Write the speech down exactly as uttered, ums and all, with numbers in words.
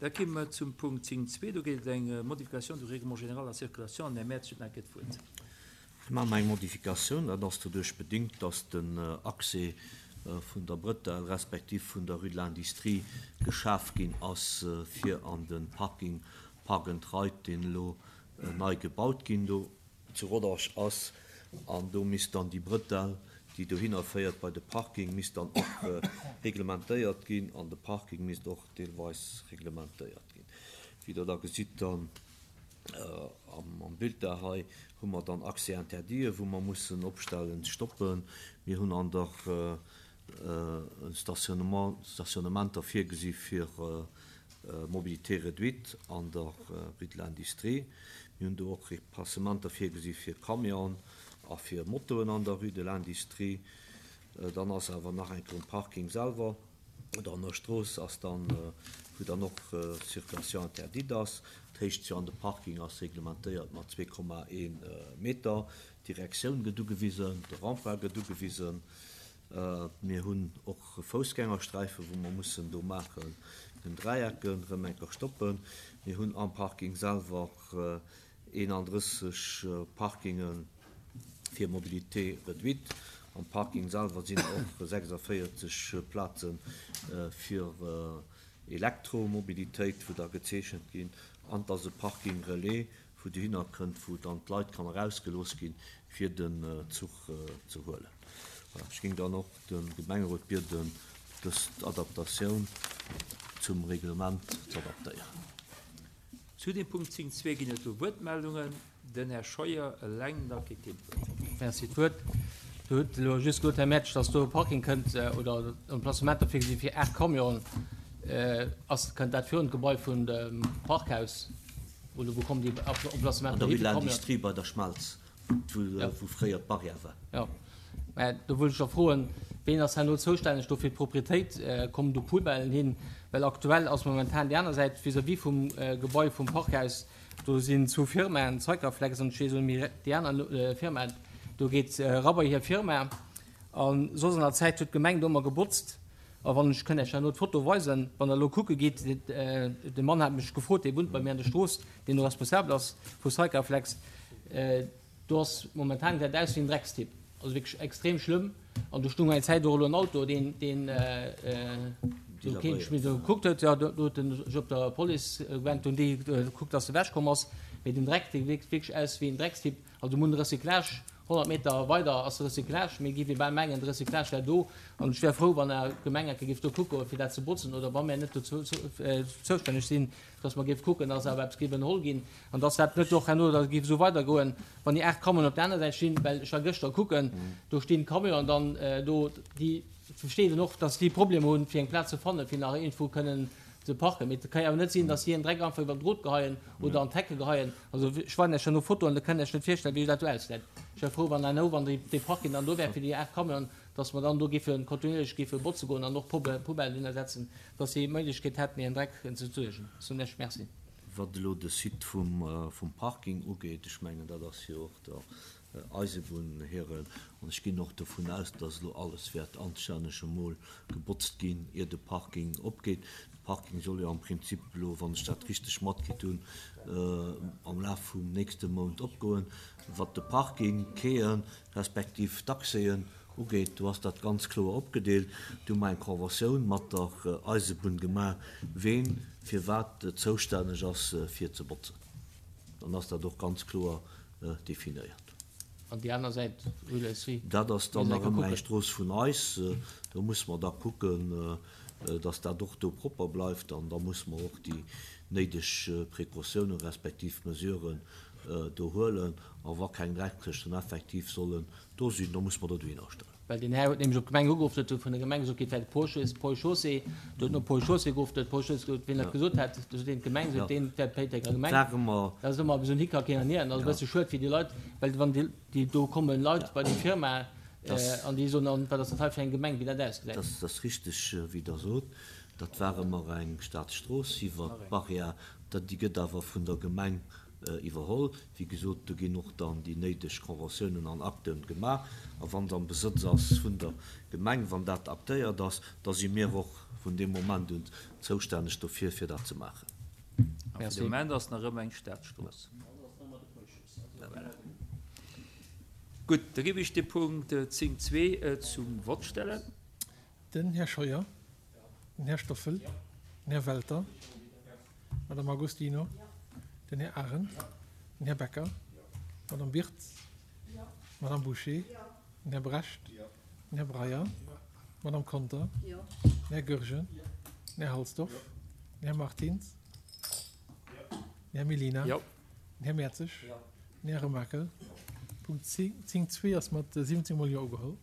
Da komme mer zum Punkt zéng zwee. Do geet et eng Modification du Règlement général de la circulation. An den Här Mertz huet nach eng Kéier d'Wuert. Mir maachen eng Modifikatioun. Dat ass doduerch bedingt, dass den Accès vun der Bretelle respektiv vun der Rue de l'Industrie geschaf ginn ass fir an de Parking Park and Ride, deen elo nei gebaut ginn do zu Rodange ass. An do misst dann déi Bretelle, déi dohinner féiert bei de Parking, misst dann och reglementéiert ginn an de Parking misst och deelweis reglementéiert ginn. Wéi Der da gesitt dann am Bild da hei, hu mer dann Accès interdit, wou mer mussen opstellen, stoppen. Mir hunn an der Stationnement, Stationnementer virgesi fir Mobilité réduite an der Rue de l'Industrie. Mir hunn do och Repassementer virgesi fir Camionen a fir Motoen an der Rue de l'Industrie. Dann ass awer nach eng Kéier um Parking selwer oder an der Strooss ass dann, wou dann och Circulation interdite ass. D'Héicht jo an de Parking ass reglementéiert mat zwee Komma ee Meter. D'Direktioun gëtt ugewisen, de Rempart gëtt ugewisen. Mir hunn och Foussgängersträifen, wou mer mussen do maachen, den Dräiecken erëm eng Kéier stoppen. Mir hunn am Parking selwer eenandrësseg Parkinge fir Mobilité réduite. Am Parking selwer sinn och sechsundvéierzeg Plaze fir Elektromobilitéit, wou da gezeechent ginn. An et ass e Parking relais, wou dohinner kënnt, wou dann d'Leit kann erausgelooss ginn, fir den Zuch ze huelen. Voilà, ech géing dann och de Gemengerot bieden, dës Adaptatioun zum Reglement ze adaptéieren. Zu dem Punkt zéng zwee ginn et do Wuertmeldungen. Den Här Scheuer eleng, da kritt hien d'Wuert. Merci, d'Wuert. Du hutt elo just gesot, Här Mertsch, dass do e Parking kënnt, oder Emplacementer virgesi fir aacht Camionen. Ass, kënnt dat virun d'Gebai vun dem Parkhaus? Oder wou kommen déi Emplacementer An der hin fir Rue de Camionen? l'Industrie bei der Schmelz, wou fréier d'Barrière war. Jo, mä do wëll ech da froen, ween ass herno zoustänneg do fir d'Proprietéit? Kommen do Poubellen hin? Well aktuell ass momentan déi aner Säit vis-à-vis vum Gebai vum Parkhaus, do sinn zwou Firmaen, Zeicaflex an ech weess net méi déi aner Firma, do geet era bei hir Firma. A soss an der Zäit huet d'Gemeng do ëmmer gebotzt. A wann ech kënnt Iech herno d'Foto weisen, wann der elo kucke gitt, de Mann hat mech gefrot, dee wunnt bei mir an der Strooss, deen do responsabel ass vu Zeicaflex, do ass momentan gesäit aus wéi en Dreckstipp, also wierklech extrem schlëmm. An do stung eng Zäit och elo en Auto, deen, deen do keen méi do gekuckt huet, jo, do huet en sech op der Police gewennt, hunn déi gekuckt, dass e ewechkomm ass. Mee den Dreck, dee wierkt wierklech aus wéi en Dreckstipp. Also mir hunn de Recyclage, honnert Meter weider ass de Recyclage, mir géife bal mengen, de Recyclage wär do. An ech wär frou, wann Är Gemeng eng Kéier géif do kucke fir dat ze botzen, oder wa mir net dozou zoustänneg sinn, dass mer géif kucken, dass awer eppes géif ënnerholl ginn an dass dat net och herno da géif esou weidergoen, wann déi aacht Camionen op der aner Säit stinn, well ech war gëschter kucken, do stinn Camionen dann do, déi versteet een och, dass déi Problemer hunn, fir eng Plaz ze fannen, fir nach iergendwou kënnen ze parken. Mee et ka jo awer net sinn, dass si en Dreck einfach iwwer den Drot geheien oder an d'Hecke geheien. Also ech weisen Iech herno Fotoen, da kënnt Iech net virstellen, wéi dat do ausgesäit. Ech wär frou, wann herno, wann dee Parking dann do wär fir déi aacht Camionen, dass mer dann do géife kontinuierlech géife botze goen an och Poubellen hinnersetzen, dass si d'Méiglechkeet hätten, hiren Dreck ze entsuergen. Soen Iech Merci. Wat elo de Site vum Parking ugeet, ech mengen, dat ass jo och der Eisebunn hiren, an ech ginn och dovun aus, dass elo alles wäert anstänneg emol gebotzt ginn, ier de Parking opgeet. De Parking soll jo am Prinzip elo, wann ech dat richteg matkritt hunn, am Laf vum nächste Mount opgoen. Wat de Parking, Quaien respektiv d'Accèsen ugeet, do ass dat ganz kloer opgedeelt. Do hu mer eng Conventioun mat der Eisebunn gemaach, ween fir wat zoustänneg ass fir ze botzen. Dann ass dat och ganz kloer definéiert. An déi aner Säit, Rue de l'Industrie? Dat ass dann nach ëmmer eng Strooss vun eis. Do muss mer da kucken, dass dat och do propper bleift. An da muss mer och déi néideg Précautiounen respektiv Mesuren do huelen. A wa keng Dreckskëschten effektiv sollen do sinn, da muss mer do dohinner stellen. Well den Här huet nämlech op d'Gemeng ugeruff, huet vun der Gemeng gesot, et wär Pont-Chaussée, do huet no Pont-Chaussée geruff, do huet Pont-Chaussée gesot, wien dat gesot hätt, do sot een d'Gemeng, sot deen, et wär d'Péitenger Gemeng. Dat ass ëmmer esou en Hickhack hin an hier, an dat ass e bësse schued fir déi Leit, well wann déi do kommen Leit bei déi Firma an déi soen, an wat ass dat hei fir eng Gemeng, wéi dat ausgesäit. Dat ass richteg, wéi Der sot. Dat war ëmmer eng Staatsstrooss iwwer d'Barrière, déi gëtt awer vun der Gemeng iwwerholl. Wéi gesot, do ginn och dann déi néideg Conventiounen an Akten gemaach. A wann et am Besëtz ass vun der Gemeng, wann dat aktéiert ass, da si mir och vun deem Moment un zoustänneg dofir, fir dat ze maachen. A fir de Moment ass nach ëmmer eng Staatsstrooss. Gutt, da géif ech de Punkt zéng zwee zum Vott stellen. Den Här Scheuer, den Här Stoffel, den Här Welter, d'Madame Agostino, den Här Arendt, den Här Becker, d'Madame Birtz, d'Madame Bouché, den Här Brecht, den Här Breyer, d'Madame Conter, den Här Goergen, den Här Halsdorf, den Här Martins, den Här Mellina, den Här Mertzig, den Här Remakel. Punkt zéng zwee ass mat siwwenzéng mol Jo ugeholl.